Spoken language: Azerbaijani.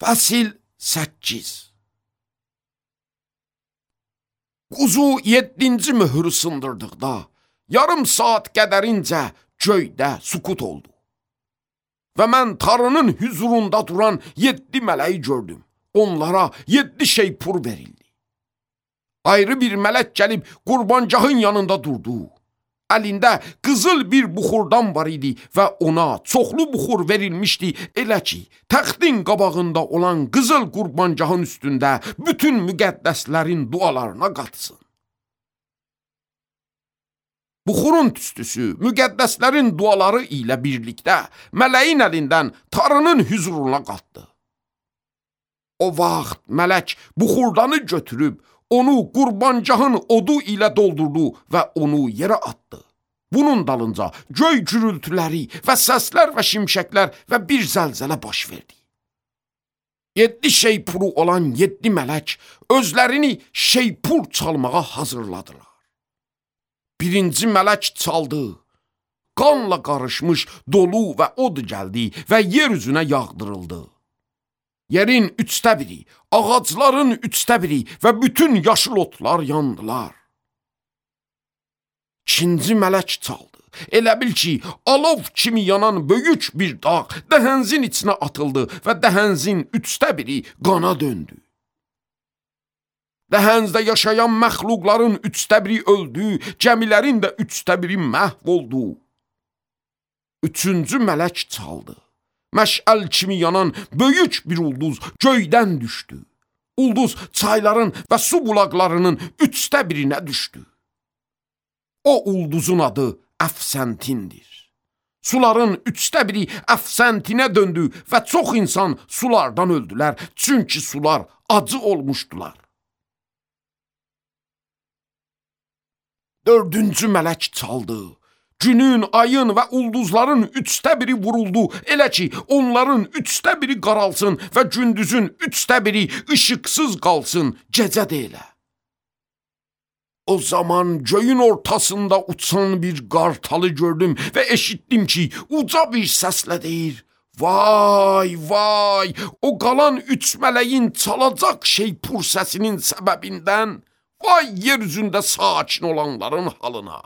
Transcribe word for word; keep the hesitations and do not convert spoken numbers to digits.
Fəsil səkkiz. Quzu yeddinci möhürü sındırdıqda, yarım saat qədərincə göydə sükut oldu. Və mən Tanrının hüzurunda duran yeddi mələyi gördüm. Onlara yeddi şeypur verildi. Ayrı bir mələk gəlib qurbancağın yanında durdu. Əlində qızıl bir buxurdan var idi və ona çoxlu buxur verilmişdi, elə ki, təxtin qabağında olan qızıl qurbancağın üstündə bütün müqəddəslərin dualarına qatsın. Buxurun tüstüsü müqəddəslərin duaları ilə birlikdə mələyin əlindən Tanrının hüzuruna qatdı. O vaxt mələk buxurdanı götürüb, onu qurbancağın odu ilə doldurdu və onu yerə atdı. Bunun dalınca göy gürültüləri və səslər və şimşəklər və bir zəlzələ baş verdi. Yeddi şeypuru olan yeddi mələk özlərini şeypur çalmağa hazırladılar. Birinci mələk çaldı. Qanla qarışmış dolu və od gəldi və yer üzünə yağdırıldı. Yerin üçdə biri, ağacların üçdə biri və bütün yaşıl otlar yandılar. İkinci mələk çaldı. Elə bil ki, alov kimi yanan böyük bir dağ dəhənzin içinə atıldı və dəhənzin üçdə biri qana döndü. Dəhənzdə yaşayan məxluqların üçdə biri öldü, gəmilərin də üçdə biri məhv oldu. Üçüncü mələk çaldı. Məşəl kimi yanan böyük bir ulduz göydən düşdü. Ulduz çayların və su bulaqlarının üçdə birinə düşdü. O ulduzun adı Əfsəntindir. Suların üçdə biri Əfsəntinə döndü və çox insan sulardan öldülər, çünki sular acı olmuşdular. Dördüncü mələk çaldı. Günün, ayın və ulduzların üçdə biri vuruldu, elə ki, onların üçdə biri qaralsın və gündüzün üçdə biri işıqsız qalsın, gecə də elə. O zaman göyün ortasında uçan bir qartalı gördüm və eşitdim ki, uca bir səslə deyir, vay, vay, o qalan üç mələyin çalacaq şeypur səsinin səbəbindən, vay yer üzündə sakin olanların halına.